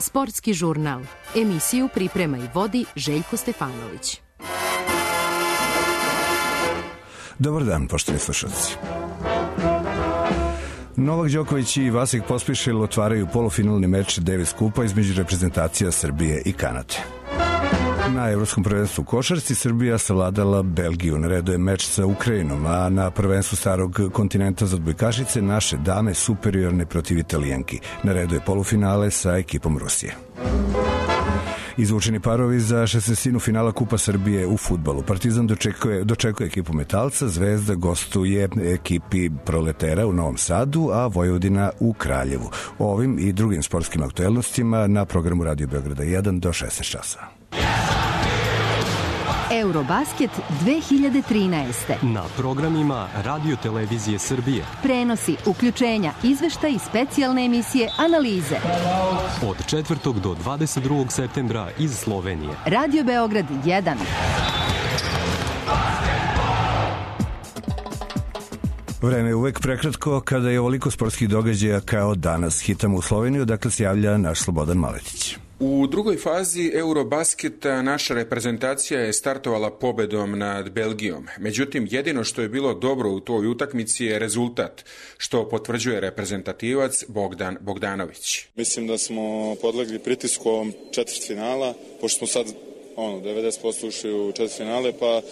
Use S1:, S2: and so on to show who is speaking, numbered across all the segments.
S1: Sportski žurnal. Emisiju priprema i vodi Željko Stefanović.
S2: Dobar dan, poštovani slušalci. Novak Đoković i Vasek Pospišil otvaraju polufinalni meč Davis kupa između reprezentacija Srbije i Kanade. Na Evropskom prvenstvu u košarci Srbija savladala Belgiju. Na redu je meč sa Ukrajinom, a na prvenstvu starog kontinenta za odbojkašice naše dame superiorne protiv Italijanki. Na redu je polufinale sa ekipom Rusije. Izvučeni parovi za šestnaestinu finala Kupa Srbije u fudbalu. Partizan dočekuje ekipu Metalca, Zvezda gostuje ekipi Proletera u Novom Sadu, a Vojvodina u Kraljevu. O ovim i drugim sportskim aktuelnostima na programu Radio Beograda 1 do 16 časova.
S1: Eurobasket 2013.
S3: Na programima Radio Televizije Srbije.
S1: Prenosi, uključenja, izveštaj i specijalne emisije, analize.
S3: Od 4. do 22. septembra iz Slovenije.
S1: Radio Beograd 1.
S2: Vreme je uvek prekratko kada je ovoliko sportskih događaja kao danas. Hitamo u Sloveniju, dakle se javlja naš Slobodan Maletić.
S4: U drugoj fazi Eurobasketa naša reprezentacija je startovala pobedom nad Belgijom. Međutim, jedino što je bilo dobro u toj utakmici je rezultat, što potvrđuje reprezentativac Bogdan Bogdanović.
S5: Mislim da smo podlegli pritisku ovom četvrtfinala, pošto smo sad 90% ušli u četvrtfinale, pa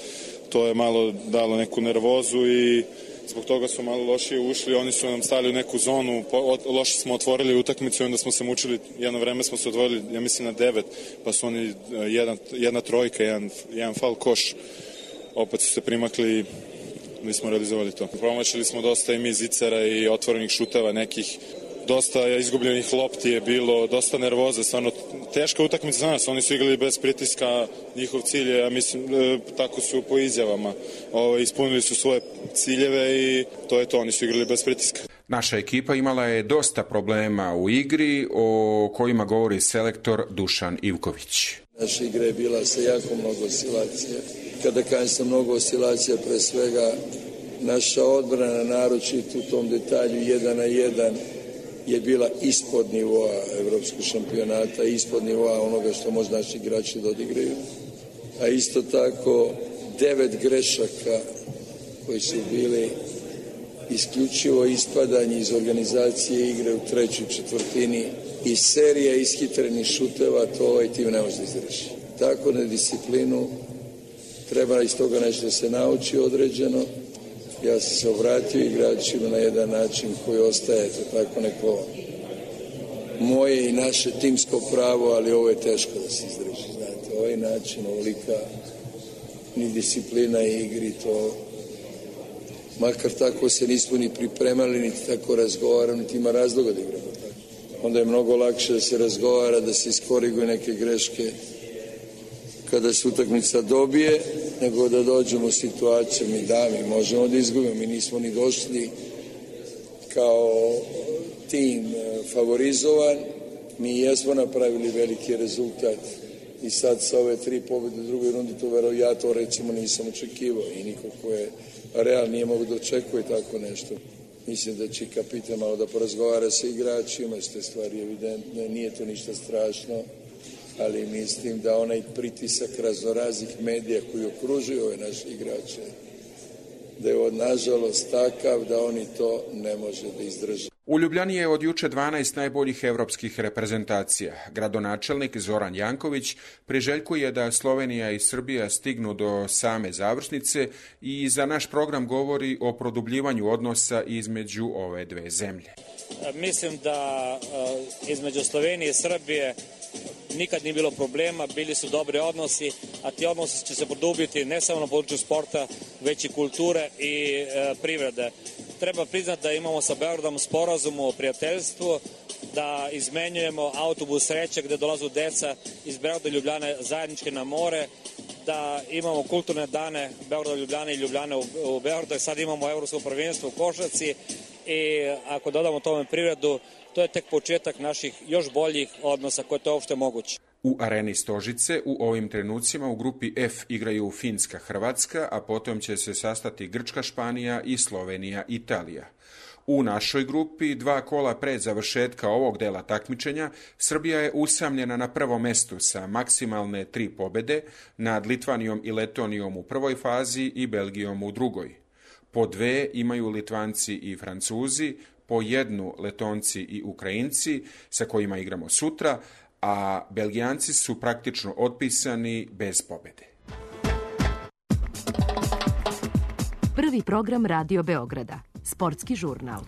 S5: to je malo dalo neku nervozu i zbog toga su malo lošije ušli, oni su nam stali u neku zonu, loše smo otvorili utakmicu i onda smo se mučili, jedno vreme smo se otvorili, ja mislim na 9, pa su oni jedna trojka, jedan faul koš, opet su se primakli, nismo realizovali to. Promašili smo dosta i mi zicera i otvorenih šuteva nekih, dosta izgubljenih lopti je bilo, dosta nervoze, stvarno teška utakmica za nas, oni su igrali bez pritiska, njihov cilj je, ja mislim, tako su po izjavama, ispunili su svoje ciljeve i to je to, oni su igrali bez pritiska.
S4: Naša ekipa imala je dosta problema u igri o kojima govori selektor Dušan Ivković.
S6: Naša igra je bila sa jako mnogo oscilacija. Kada kažem sa mnogo oscilacija, pre svega naša odbrana, naročito u tom detalju 1 na 1, je bila ispod nivoa evropskog šampionata, ispod nivoa onoga što može naši igrači da odigraju. A isto tako 9 grešaka koji su bili isključivo ispadanje iz organizacije igre u trećoj četvrtini i serija ishitrenih šuteva, to ovaj tim ne može da izdrži. Tako na disciplinu treba iz toga nešto da se nauči određeno. Ja sam se obratio igračima na jedan način koji ostaje tako neko moje i naše timsko pravo, ali ovo je teško da se izdrži. Znate, ovaj način, ovolika ni disciplina i igri, to makar tako se nismo ni pripremali, niti tako razgovaramo, niti ima razloga da igramo tako. Onda je mnogo lakše da se razgovara, da se iskoriguju neke greške kada se utakmica dobije, nego da dođemo u situaciju, mi možemo da izgubimo, mi nismo ni došli kao tim favorizovan, mi jesmo napravili veliki rezultat i sad sa ove 3 pobjede u drugoj rundi, ja to recimo nisam očekivao i niko ko je real nije mogu da očekuje tako nešto. Mislim da će kapitan malo da porazgovara sa igračima, što je stvari evidentne, nije to ništa strašno, ali mislim da onaj pritisak raznoraznih medija koji okružuju ove naše igrače, da je nažalost takav da oni to ne može da izdrže.
S4: U Ljubljani je od juče 12 najboljih evropskih reprezentacija. Gradonačelnik Zoran Janković priželjkuje da Slovenija i Srbija stignu do same završnice i za naš program govori o produbljivanju odnosa između ove dve zemlje.
S7: Mislim da između Slovenije i Srbije nikad nije bilo problema, bili su dobri odnosi, a ti odnosi će se produbiti ne samo na području sporta, već i kulture i privrede. Treba priznati da imamo sa Beogradom sporazum o prijateljstvu, da izmenjujemo autobus sreće gde dolazu deca iz Beograda i Ljubljane zajedničke na more, da imamo kulturne dane Beograda, Ljubljane i Ljubljane u Beogradu, sad imamo evropsko prvenstvo u košarci i ako dodamo tome privredu, to je tek početak naših još boljih odnosa koje to je uopšte moguće.
S4: U areni Stožice u ovim trenucima u grupi F igraju Finska, Hrvatska, a potom će se sastati Grčka, Španija i Slovenija, Italija. U našoj grupi, 2 kola pred završetka ovog dela takmičenja, Srbija je usamljena na prvom mestu sa maksimalne 3 pobede nad Litvanijom i Letonijom u prvoj fazi i Belgijom u drugoj. Po 2 imaju Litvanci i Francuzi, po 1 Letonci i Ukrajinci, sa kojima igramo sutra, a Belgijanci su praktično otpisani bez pobede.
S1: Prvi program Radio Beograda. Sportski žurnal.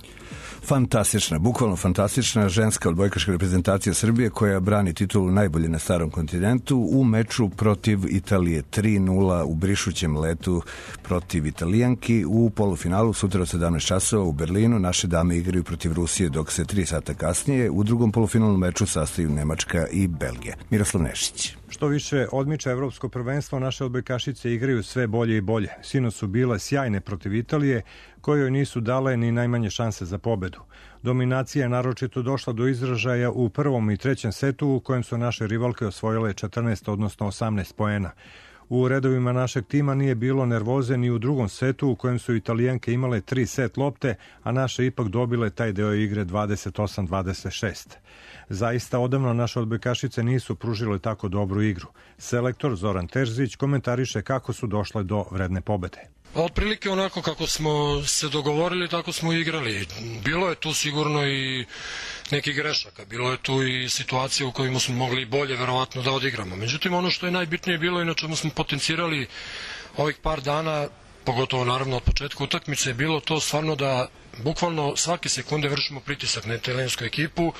S2: Fantastična, bukvalno fantastična ženska odbojkaška reprezentacija Srbije koja brani titulu najbolje na starom kontinentu u meču protiv Italije 3-0 u brišućem letu protiv Italijanki u polufinalu sutra od 17 časova u Berlinu. Naše dame igraju protiv Rusije, dok se 3 sata kasnije u drugom polufinalnom meču sastaju Nemačka i Belgija. Miroslav Nešić.
S8: Što više odmiče evropsko prvenstvo, naše odbojkašice igraju sve bolje i bolje. Sinoć su bile sjajne protiv Italije, kojoj nisu dale ni najmanje šanse za pobedu. Dominacija je naročito došla do izražaja u prvom i trećem setu, u kojem su naše rivalke osvojile 14, odnosno 18 poena. U redovima našeg tima nije bilo nervoze ni u drugom setu, u kojem su Italijanke imale 3 set lopte, a naše ipak dobile taj deo igre 28-26. Zaista odavno naše odbojkašice nisu pružile tako dobru igru. Selektor Zoran Terzić komentariše kako su došle do vredne pobede.
S9: Otprilike onako kako smo se dogovorili, tako smo igrali. Bilo je tu sigurno i neki grešaka, bilo je tu i situacije u kojima smo mogli bolje verovatno da odigramo. Međutim, ono što je najbitnije bilo i na čemu smo potencirali ovih par dana, pogotovo naravno od početka utakmice, je bilo to stvarno da bukvalno svake sekunde vršimo pritisak na italijansku ekipu,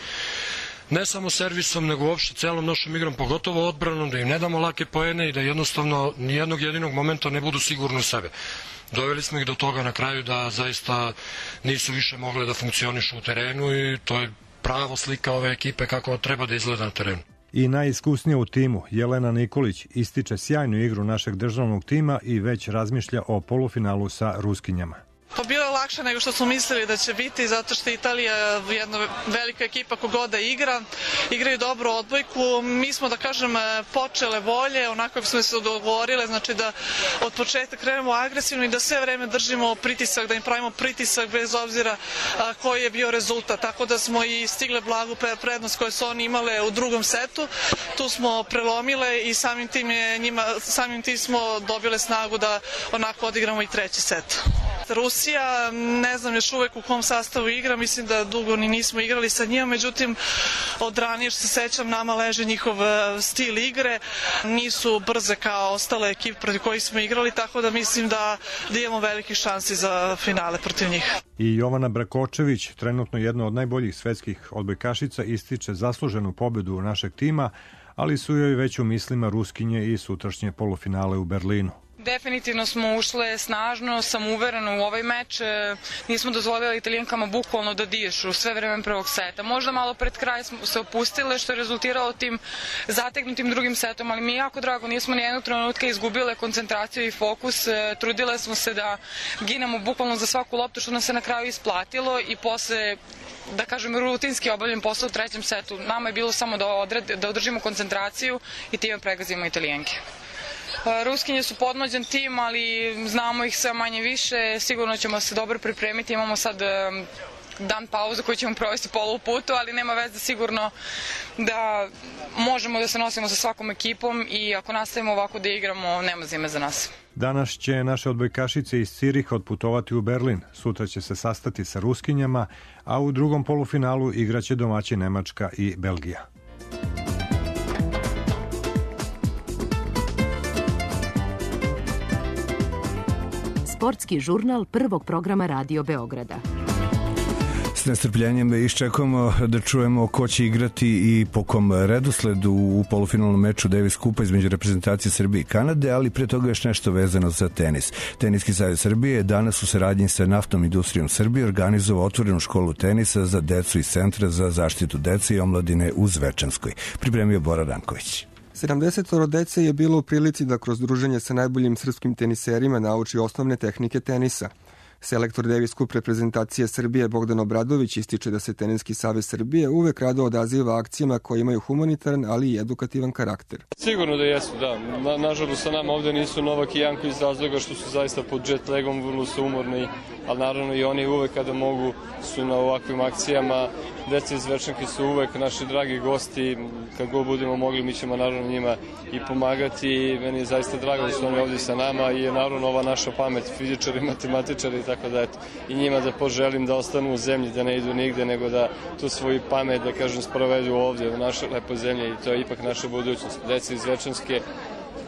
S9: ne samo servisom, nego uopšte celom našom igrom, pogotovo odbranom, da im ne damo lake poene i da jednostavno nijednog jedinog momenta ne budu sigurni u sebe. Doveli smo ih do toga na kraju da zaista nisu više mogle da funkcionišu u terenu i to je pravo slika ove ekipe kako treba da izgleda na terenu.
S8: I najiskusnija u timu, Jelena Nikolić, ističe sjajnu igru našeg državnog tima i već razmišlja o polufinalu sa Ruskinjama.
S10: Pa bilo je lakše nego što smo mislili da će biti, zato što je Italija jedna velika ekipa kogoda igra, igraju dobru odbojku. Mi smo, da kažem, počele bolje, onako kako smo se dogovorile, znači da od početka krenemo agresivno i da sve vreme držimo pritisak, da im pravimo pritisak bez obzira koji je bio rezultat. Tako da smo i stigle blagu prednost koju su oni imale u drugom setu. Tu smo prelomile i samim tim smo dobile snagu da onako odigramo i treći set. Rusija, ne znam još uvek u kom sastavu igra, mislim da dugo ni nismo igrali sa njima, međutim od ranije što se sećam nama leže njihov stil igre, nisu brze kao ostale ekipe protiv kojih smo igrali, tako da mislim da imamo velike šanse za finale protiv njih.
S8: I Jovana Brakočević, trenutno jedna od najboljih svetskih odbojkašica, ističe zasluženu pobedu našeg tima, ali su joj već u mislima Ruskinje i sutrašnje polufinale u Berlinu.
S11: Definitivno smo ušle snažno, samouvereno u ovaj meč, nismo dozvolili Italijankama bukvalno da dišu sve vreme prvog seta. Možda malo pred kraj smo se opustile, što je rezultiralo tim zategnutim drugim setom, ali mi je jako drago, nismo ni jednog trenutka izgubile koncentraciju i fokus, trudile smo se da ginemo bukvalno za svaku loptu, što nam se na kraju isplatilo i posle, da kažem, rutinski obavljen posao u trećem setu. Nama je bilo samo da održimo koncentraciju i time pregazimo Italijanke. Ruskinje su podmlađen tim, ali znamo ih sve manje više, sigurno ćemo se dobro pripremiti, imamo sad dan pauzu koju ćemo provesti polu putu, ali nema veze, sigurno da možemo da se nosimo sa svakom ekipom i ako nastavimo ovako da igramo, nema zime za nas.
S8: Danas će naše odbojkašice iz Ciriha otputovati u Berlin, sutra će se sastati sa Ruskinjama, a u drugom polufinalu igraće domaći Nemačka i Belgija.
S1: Sportski žurnal prvog programa Radio Beograda.
S2: S nestrpljenjem iščekujemo da čujemo ko će igrati i po kom redosledu u polufinalnom meču Davis Kupa između reprezentacije Srbije i Kanade, ali pre toga još nešto vezano za tenis. Teniski savez Srbije je danas u saradnji sa Naftnom industrijom Srbije organizovao otvorenu školu tenisa za decu iz Centra za zaštitu dece i omladine u Zvečanskoj. Pripremio Bora Ranković.
S12: 70 dece je bilo u prilici da kroz druženje sa najboljim srpskim teniserima nauči osnovne tehnike tenisa. Selektor Davis Cup reprezentacije Srbije Bogdan Obradović ističe da se Teniski savez Srbije uvek rado odaziva akcijama koje imaju humanitaran, ali i edukativan karakter.
S13: Sigurno da jesu, da. Nažalost sa nama ovde nisu Novak i Janko iz razloga što su zaista pod jet lagom, vrlo su umorni, ali naravno i oni uvek kada mogu su na ovakvim akcijama. Deca iz Večanke su uvek naši dragi gosti, kad god budemo mogli mi ćemo naravno njima i pomagati. Meni je zaista drago da su oni ovdje sa nama i je naravno ova naša pamet, fizičari, matematičari, tako da eto, i njima da poželim da ostanu u zemlji, da ne idu nigde, nego da tu svoju pamet, da kažem, sprovedu ovdje u našoj lepoj zemlji i to je ipak naša budućnost. Deca iz Večanske,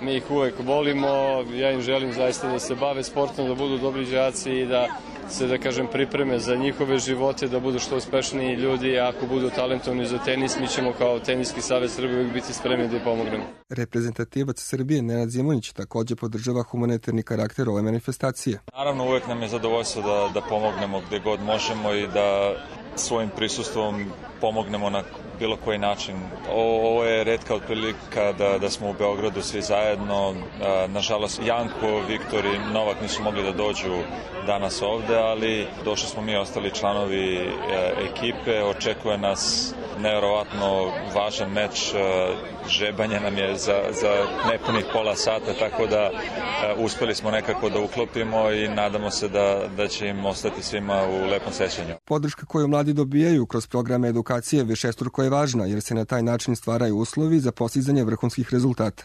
S13: mi ih uvek volimo, ja im želim zaista da se bave sportom, da budu dobri đaci i da se, da kažem, pripreme za njihove živote, da budu što uspešniji ljudi, a ako budu talentovni za tenis, mi ćemo kao Teniski savez Srbije uvijek biti spremni da ih pomognemo.
S12: Reprezentativac Srbije Nenad Zimunić također podržava humanitarni karakter ove manifestacije.
S14: Naravno, uvijek nam je zadovoljstvo da pomognemo gde god možemo i da svojim prisustvom pomognemo na bilo koji način. Ovo je retka otprilika da smo u Beogradu svi zajedno. Nažalost, Janko, Viktor i Novak nisu mogli da dođu danas ovde, ali došli smo mi ostali članovi ekipe. Očekuje nas nevjerovatno važan meč. Žebanje nam je za nepunih pola sata, tako da uspeli smo nekako da uklopimo i nadamo se da će im ostati svima u lepom sećanju.
S12: Podrška koju mladi dobijaju kroz programe edukacije višestruko je važna, jer se na taj način stvaraju uslovi za postizanje vrhunskih rezultata.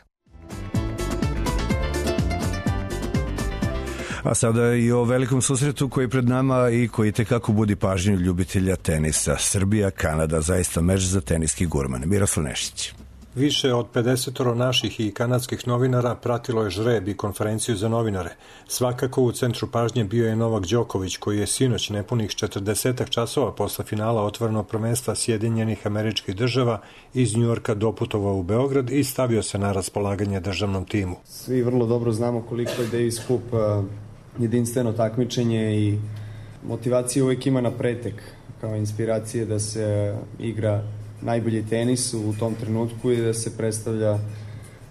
S2: A sada i o velikom susretu koji je pred nama i koji tekako budi pažnju ljubitelja tenisa. Srbija, Kanada, zaista meč za teniski gurman. Miroslav Nešić.
S8: Više od 50 naših i kanadskih novinara pratilo je žreb i konferenciju za novinare. Svakako u centru pažnje bio je Novak Đoković, koji je sinoć nepunih 40 časova posle finala otvorenog prvenstva Sjedinjenih Američkih Država iz Njujorka doputovao u Beograd i stavio se na raspolaganje državnom timu.
S15: Svi vrlo dobro znamo koliko je Davis Cup jedinstveno takmičenje i motivacija uvijek ima na pretek, kao inspiracije da se igra najbolji tenis u tom trenutku i da se predstavlja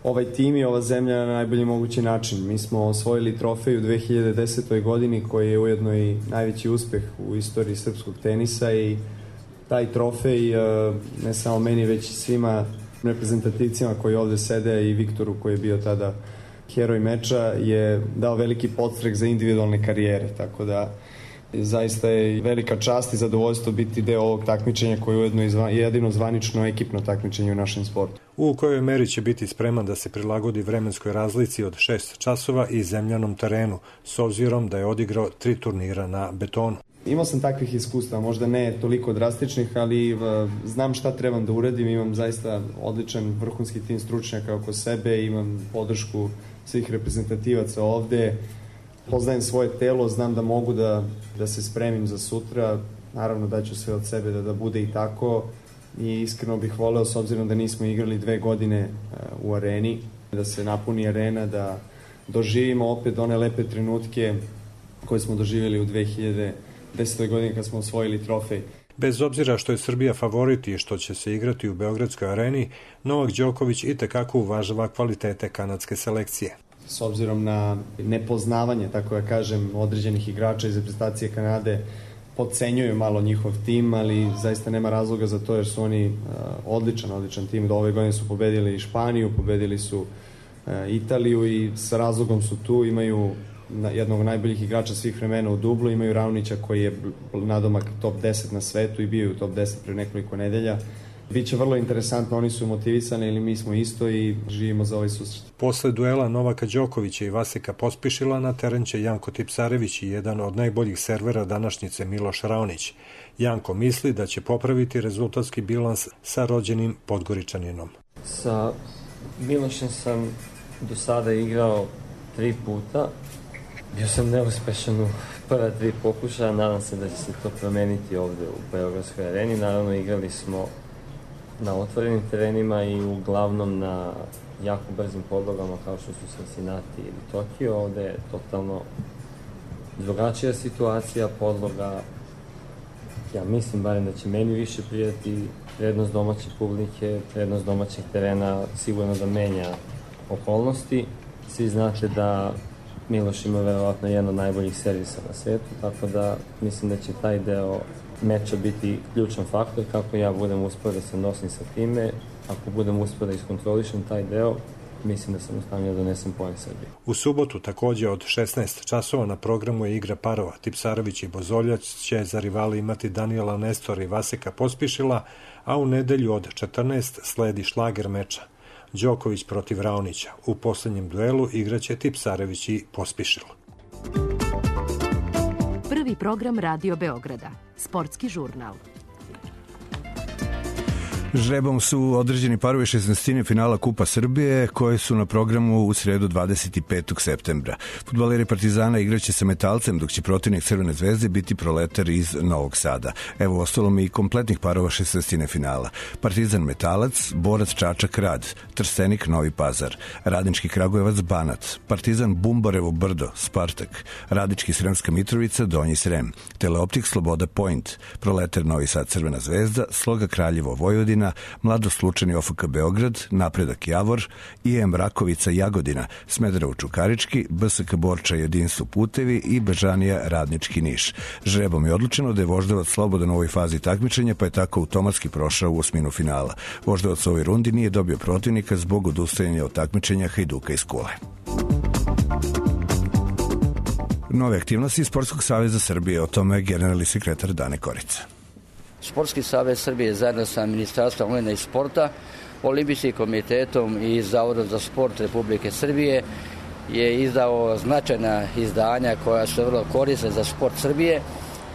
S15: ovaj tim i ova zemlja na najbolji mogući način. Mi smo osvojili trofej u 2010. godini koji je ujedno i najveći uspeh u istoriji srpskog tenisa i taj trofej ne samo meni već i svima reprezentativcima koji ovde sede i Viktoru koji je bio tada heroj meča je dao veliki podstrek za individualne karijere, tako da zaista je velika čast i zadovoljstvo biti deo ovog takmičenja koje je ujedno jedino zvanično ekipno takmičenje u našem sportu.
S8: U kojoj meri će biti spreman da se prilagodi vremenskoj razlici od 6 časova i zemljanom terenu, s obzirom da je odigrao 3 turnira na betonu.
S15: Imao sam takvih iskustva, možda ne toliko drastičnih, ali znam šta trebam da uradim, imam zaista odličan vrhunski tim stručnjaka oko sebe, imam podršku svih reprezentativaca ovde, poznajem svoje telo, znam da mogu da se spremim za sutra, naravno daću sve od sebe da bude i tako i iskreno bih voleo, s obzirom da nismo igrali 2 godine u areni, da se napuni arena, da doživimo opet one lepe trenutke koje smo doživjeli u 2010. godini kad smo osvojili trofej.
S8: Bez obzira što je Srbija favorit i što će se igrati u Beogradskoj areni, Novak Đoković itekako uvažava kvalitete kanadske selekcije.
S15: S obzirom na nepoznavanje, tako da kažem, određenih igrača iz reprezentacije Kanade, podcenjuju malo njihov tim, ali zaista nema razloga za to jer su oni odličan tim. Do ove godine su pobedili Španiju, pobedili su Italiju i sa razlogom su tu, imaju jednog od najboljih igrača svih vremena u dublu, imaju Raonića koji je nadomak top 10 na svetu i bio u top 10 pre nekoliko nedelja. Biće vrlo interesantno, oni su motivisani ili mi smo isto i živimo za ovaj susret.
S8: Posle duela Novaka Đokovića i Vasika Pospišila na teren će Janko Tipsarević i jedan od najboljih servera današnjice Miloš Raonić. Janko misli da će popraviti rezultatski bilans sa rođenim Podgoričaninom.
S16: Sa Milošem sam do sada igrao 3 puta. Bio sam neuspešan u prva 3 pokušaja, nadam se da će se to promeniti ovde u Beogradskoj areni. Naravno, igrali smo na otvorenim terenima i uglavnom na jako brzim podlogama kao što su Cincinnati ili Tokio. Ovde je totalno drugačija situacija, podloga. Ja mislim barem da će meni više prijati, prednost domaće publike, prednost domaćeg terena sigurno da menja okolnosti. Svi znate da Miloš ima verovatno jedan od najboljih servisa na svetu, tako da mislim da će taj deo meča biti ključan faktor kako ja budem uspio da se nosim sa time. Ako budem uspio da iskontrolišem taj deo, mislim da sam u stanju da donesem poen Srbije.
S8: U subotu takođe od 16 časova na programu je igra parova. Tipsarević i Bozoljac će za rivali imati Daniela Nestora i Vaseka Pospišila, a u nedelju od 14 sledi šlager meča. Đoković protiv Raonića. U poslednjem duelu igraće Tipsarević i Pospišil.
S1: Prvi program Radio Beograda. Sportski žurnal.
S2: Žrebom su određeni parovi 16. finala Kupa Srbije koje su na programu u sredu 25. septembra. Fudbaleri Partizana igraće sa Metalcem, dok će protivnik Crvene zvezde biti Proletar iz Novog Sada. Evo ostalom i kompletnih parova 16. finala. Partizan Metalac, Borac Čačak Rad, Trstenik Novi Pazar, Radnički Kragujevac Banat, Partizan Bumbarevo Brdo, Spartak, Radnički Sremska Mitrovica Donji Srem, Teleoptik Sloboda Point, Proletar Novi Sad Crvena zvezda, Sloga Kraljevo Vojvodina, Mladost Lučani OFK Beograd, Napredak Javor, IM Rakovica Jagodina, Smederevo Čukarički, BSK Borča Jedinstvo Putevi i Bežanija Radnički Niš. Žrebom je odlučeno da je Voždovac slobodan u ovoj fazi takmičenja, pa je tako automatski prošao u osminu finala. Voždovac u ovoj rundi nije dobio protivnika zbog odustajanja od takmičenja Hajduka iz Kule. Nove aktivnosti Sportskog saveza Srbije, o tome generalni sekretar Dane Korica.
S17: Sportski savez Srbije zajedno sa Ministarstvom omladine i sporta, Olimpijskim komitetom i Zavodom za sport Republike Srbije je izdao značajna izdanja koja su vrlo korisna za sport Srbije,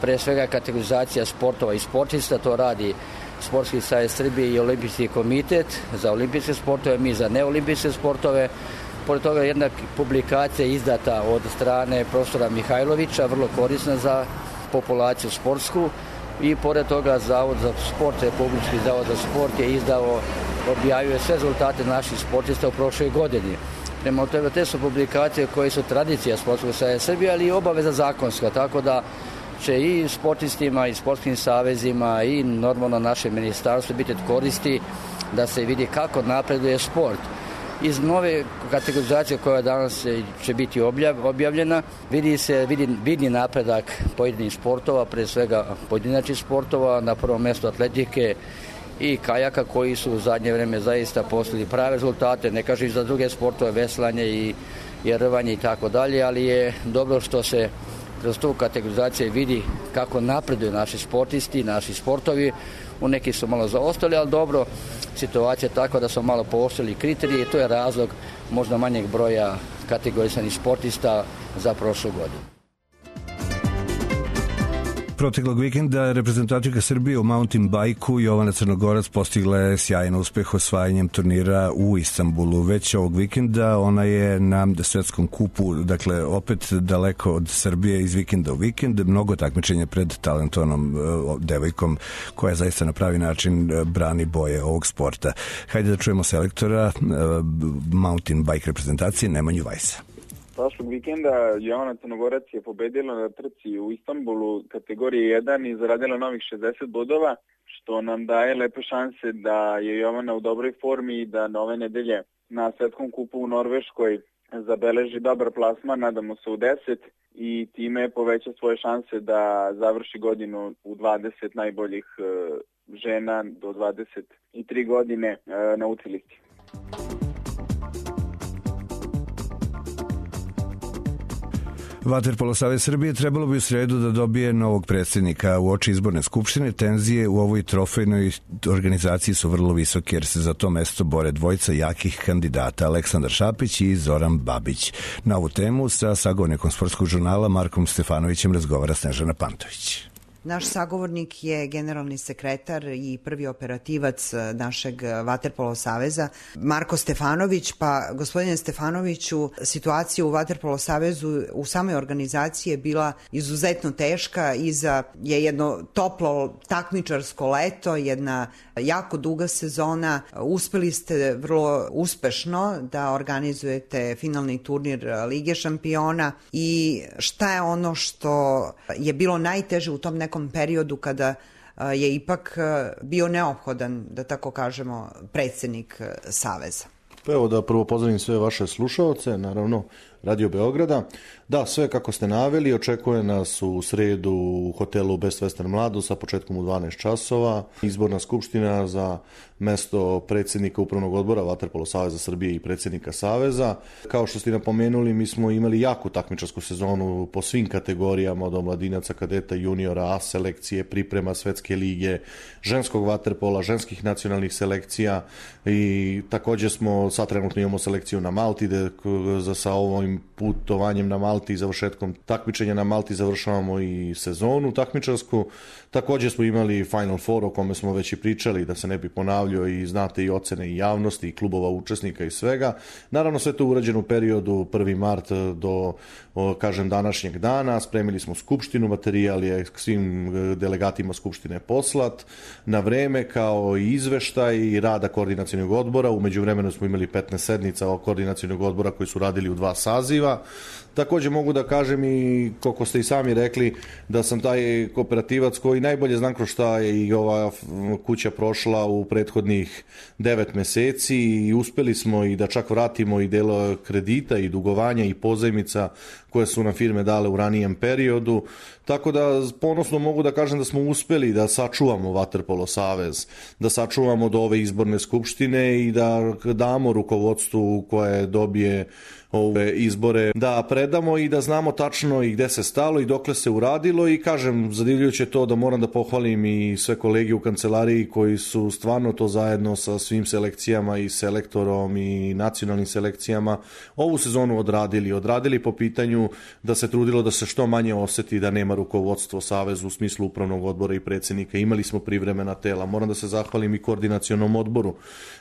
S17: pre svega kategorizacija sportova i sportista, to radi Sportski savez Srbije i Olimpijski komitet za olimpijske sportove, mi za neolimpijske sportove. Pored toga jedna publikacija izdata od strane profesora Mihajlovića, vrlo korisna za populaciju sportsku. I pored toga Zavod za sport, Republički zavod za sport je objavio sve rezultate naših sportista u prošloj godini. Prema tome, te su publikacije koje su tradicija Sportskog saveza Srbije, ali i obaveza zakonska, tako da će i sportistima i sportskim savezima i normalno naše ministarstvo biti od koristi da se vidi kako napreduje sport. Iz nove kategorizacije koja danas će biti objavljena vidi napredak pojedinih sportova, pre svega pojedinačnih sportova, na prvom mjestu atletike i kajaka koji su u zadnje vreme zaista postigli prave rezultate, ne kažem za druge sportove, veslanje i rvanje i tako dalje, ali je dobro što se kroz tu kategorizaciju vidi kako napreduju naši sportisti, naši sportovi. U neki su malo zaostali, ali dobro, situacija je takva da su malo pooštrili kriterije i to je razlog možda manjeg broja kategorisanih sportista za prošlu godinu.
S2: Proteklog vikenda reprezentativka Srbije u mountain bajku Jovana Crnogorac postigla je sjajan uspeh osvajanjem turnira u Istanbulu. Već ovog vikenda ona je na svetskom kupu, dakle opet daleko od Srbije iz vikenda u vikend, mnogo takmičenja pred talentovanom devojkom koja zaista na pravi način brani boje ovog sporta. Hajde da čujemo selektora mountain bike reprezentacije Nemanju Vajsa.
S18: Prošlog vikenda Jovana Crnogorac je pobedila na trci u Istanbulu kategorije 1 i zaradila novih 60 bodova, što nam daje lepe šanse da je Jovana u dobroj formi i da nove nedelje na svetskom kupu u Norveškoj zabeleži dobar plasman, nadamo se u 10, i time poveća svoje šanse da završi godinu u 20 najboljih žena do 23 godine na UCI listi.
S2: Vaterpolo savez Srbije trebalo bi u sredu da dobije novog predsjednika. U oči izborne skupštine tenzije u ovoj trofejnoj organizaciji su vrlo visoke jer se za to mesto bore dvojica jakih kandidata, Aleksandar Šapić i Zoran Babić. Na ovu temu sa sagovornikom Sportskog žurnala Markom Stefanovićem razgovara Snežana Pantović.
S19: Naš sagovornik je generalni sekretar i prvi operativac našeg Vaterpolo saveza, Marko Stefanović. Pa, gospodine Stefanoviću, situacija u Vaterpolo savezu u samoj organizaciji je bila izuzetno teška. Iza je jedno toplo takmičarsko leto, jedna jako duga sezona. Uspeli ste vrlo uspešno da organizujete finalni turnir Lige šampiona. I šta je ono što je bilo najteže u tom nekom periodu kada je ipak bio neophodan, da tako kažemo, predsjednik Saveza?
S20: Pa evo da prvo pozdravim sve vaše slušaoce, naravno Radio Beograda. Da, sve kako ste naveli, očekuje nas u sredu u hotelu Best Western Mladu sa početkom u 12 časova. Izborna skupština za mesto predsjednika Upravnog odbora Vaterpolo Saveza Srbije i predsjednika Saveza. Kao što ste napomenuli, mi smo imali jaku takmičarsku sezonu po svim kategorijama, od omladinaca, kadeta, juniora, A selekcije, priprema Svetske lige, ženskog vaterpola, ženskih nacionalnih selekcija i također smo, sad trenutno imamo selekciju na Malti, sa ovim putovanjem na Malti i završetkom takmičenja na Malti završavamo i sezonu takmičarsku. Također smo imali Final Four o kome smo već i pričali, da se ne bi ponavljao, i znate i ocene i javnosti i klubova učesnika i svega. Naravno sve to urađeno u periodu 1. mart do, kažem, današnjeg dana. Spremili smo skupštinu, materijal je svim delegatima skupštine poslat na vreme, kao i izveštaj rada koordinacionog odbora. U međuvremenu smo imali 15 sednica koordinacionog odbora koji su radili u 2 saziva. Također mogu da kažem i, koliko ste i sami rekli, da sam taj kooperativac koji najbolje znam kroz šta je i ova kuća prošla u prethodnih 9 meseci i uspeli smo i da čak vratimo i delo kredita i dugovanja i pozajmica koje su nam firme dale u ranijem periodu. Tako da ponosno mogu da kažem da smo uspeli da sačuvamo Vaterpolo Savez, da sačuvamo do ove izborne skupštine i da damo rukovodstvu koje dobije ove izbore, da predamo i da znamo tačno i gde se stalo i dokle se uradilo. I kažem, zadivljujuće to da moram da pohvalim i sve kolege u kancelariji koji su stvarno to zajedno sa svim selekcijama i selektorom i nacionalnim selekcijama ovu sezonu odradili po pitanju da se trudilo da se što manje oseti da nema rukovodstvo Savezu u smislu upravnog odbora i predsjednika. Imali smo privremena tela. Moram da se zahvalim i koordinacionom odboru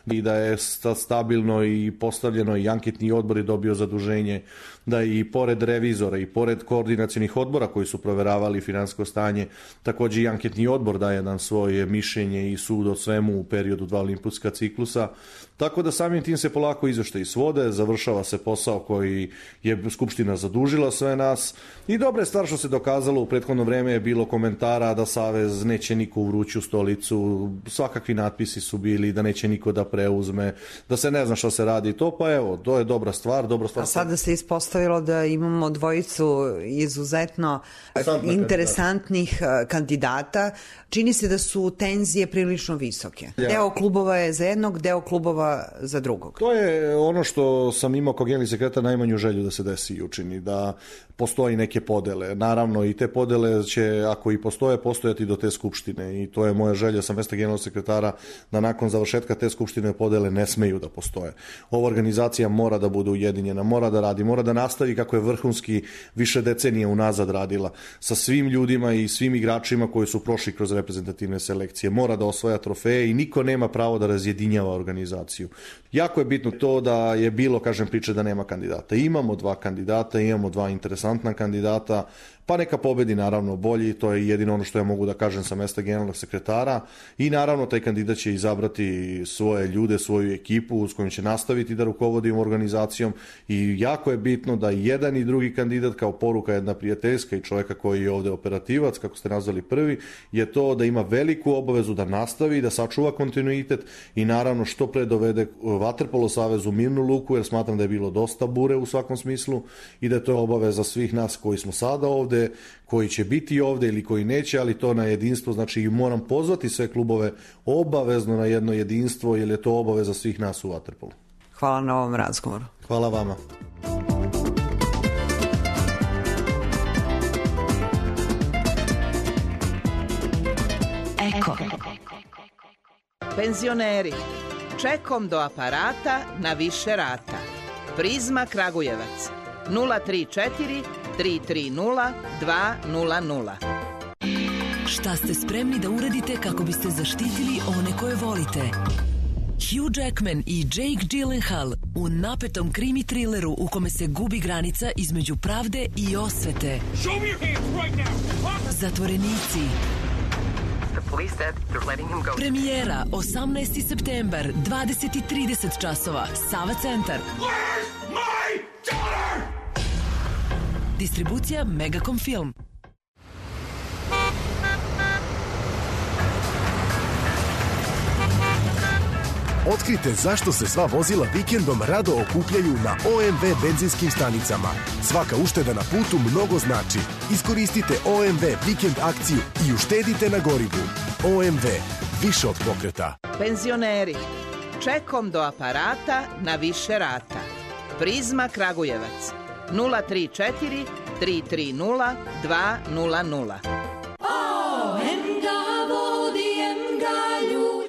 S20: i da je stabilno i postavljeno i anketni odbor je dobio zaduženje da i pored revizora i pored koordinacionih odbora koji su proveravali finansijsko stanje, također i anketni odbor daje nam svoje mišljenje i sud o svemu u periodu 2 olimpijska ciklusa. Tako da samim tim se polako izveštaji svode, završava se posao koji je Skupština zadužila sve nas i dobra je stvar što se dokazalo. U prethodno vreme je bilo komentara da Savez neće niko u vruću stolicu, svakakvi natpisi su bili da neće niko da preuzme, da se ne zna što se radi to, pa evo, to je dobra stvar.
S19: A sada se ispostavilo da imamo dvojicu izuzetno interesantnih kandidata. Čini se da su tenzije prilično visoke. Deo klubova je za jednog, deo klubova za drugog.
S20: To je ono što sam imao kao generalni sekretar najmanju želju da se desi i učini, da postoji neke podele. Naravno i te podele će, ako i postoje, postojati do te skupštine i to je moja želja sa mesta generalnog sekretara da nakon završetka te skupštine podele ne smeju da postoje. Ova organizacija mora da bude ujedinjena, mora da radi, mora da nastavi kako je vrhunski više decenije unazad radila sa svim ljudima i svim igračima koji su prošli kroz reprezentativne selekcije. Mora da osvaja trofeje i niko nema pravo da razjedinjava organizaciju. Jako je bitno to da je bilo, kažem, priče da nema kandidata. Imamo 2 kandidata, imamo 2 interesantna kandidata, pa neka pobedi naravno bolji, to je jedino ono što ja mogu da kažem sa mesta generalnog sekretara i naravno taj kandidat će izabrati svoje ljude, svoju ekipu s kojim će nastaviti da rukovodi organizacijom i jako je bitno da jedan i drugi kandidat kao poruka jedna prijateljska i čovjeka koji je ovde operativac, kako ste nazvali prvi, je to da ima veliku obavezu da nastavi, da sačuva kontinuitet i naravno što pre dovede Vaterpolo Savez u mirnu luku, jer smatram da je bilo dosta bure u svakom smislu i da je to obaveza svih nas koji smo sada ovde, koji će biti ovde ili koji neće, ali to na jedinstvo, znači moram pozvati sve klubove obavezno na jedno jedinstvo, jer je to obaveza svih nas u vaterpolu.
S19: Hvala na ovom razgovoru.
S20: Hvala vama.
S21: Eko. Penzioneri, čekom do aparata na više rata. Prizma Kragujevac 034 330 200.
S22: Šta ste spremni da uradite kako biste zaštitili one koje volite? Hugh Jackman i Jake Gyllenhaal u napetom krimi trileru u kome se gubi granica između pravde i osvete. Zatvorenici. Premijera 18. septembar, 20:30 časova, Sava centar. Distribucija Megacom Film.
S3: Otkrite zašto se sva vozila vikendom rado okupljaju na OMV benzinskim stanicama. Svaka ušteda na putu mnogo znači. Iskoristite OMV vikend akciju i uštedite na gorivu. OMV, više od pokreta.
S21: Penzioneri, čekom do aparata na više rata. Prizma Kragujevac, 034 330 200.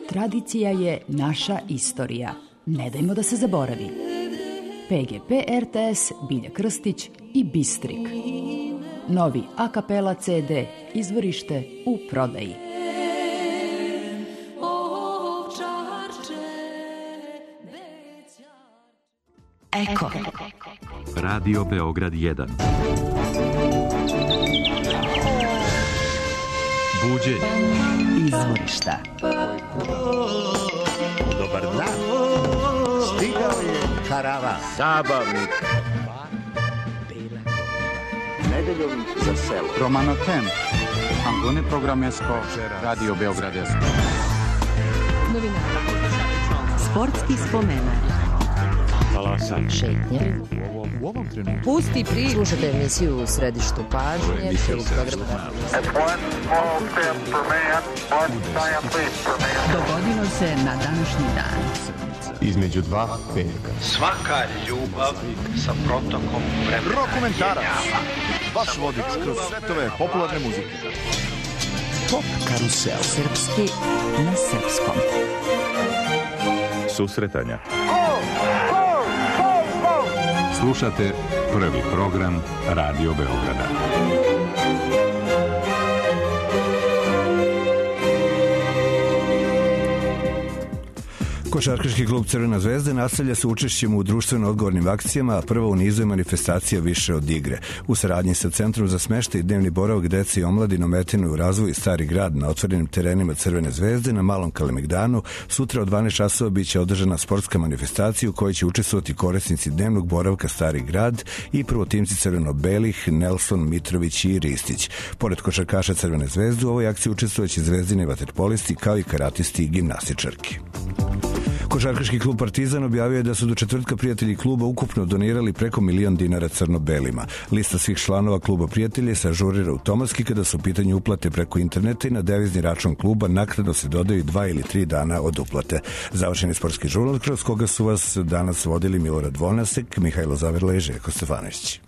S5: Tradicija je naša istorija. Ne dajmo da se zaboravi. PGP RTS, Bilja Krstić i Bistrik. Novi a kapela CD, izvorište u prodaji. Eko.
S23: Radio Beograd 1. Buđenje.
S5: Izvorišta.
S24: Dobar dan. Stigao je karavan. Zabavnik. Nedeljom za selo.
S25: Romano Tem. Angone Programesko. Radio Beograd 1.
S1: Novinara. Sportski spomenar. Šetnje.
S25: U ovom trenutku.
S1: Pusti pri. Slušate emisiju u središtu pažnje.
S5: Dogodilo se na današnji dan.
S24: Između dva petka.
S26: Svaka ljubav sa protokom vremena.
S3: Rokomentarac. Vaš vodič kroz svetove popularne muzike.
S5: Pop karusel. Srpski na srpskom.
S23: Susretanja. Slušate prvi program Radio Beograda.
S2: Košarkaški klub Crvena zvezda nastavlja se učešćem u društveno odgovornim akcijama, a prva u nizu je manifestacija Više od igre. U saradnji sa Centrom za smeštaj i dnevni boravak dece i omladine ometene u razvoju Stari grad na otvorenim terenima Crvene zvezde na Malom Kalemegdanu, sutra od 12 časova biće održana sportska manifestacija u kojoj će učestvovati korisnici dnevnog boravka Stari grad i prvotimci crveno-belih Nelson, Mitrović i Ristić. Pored košarkaša Crvene zvezde u ovoj akciji učestvovaće zvezdini vaterpolisti kao i karatisti i gimnastičarki. Košarkaški klub Partizan objavio je da su do četvrtka prijatelji kluba ukupno donirali preko $1.000.000 crno-belima. Lista svih članova kluba prijatelja se ažurira automatski kada su u pitanju uplate preko interneta i na devizni račun kluba naknadno se dodaju 2 ili 3 dana od uplate. Završeni sportski žurnal kroz koga su vas danas vodili Milorad Vonasek, Mihajlo Zaverla i Željko Stefanović.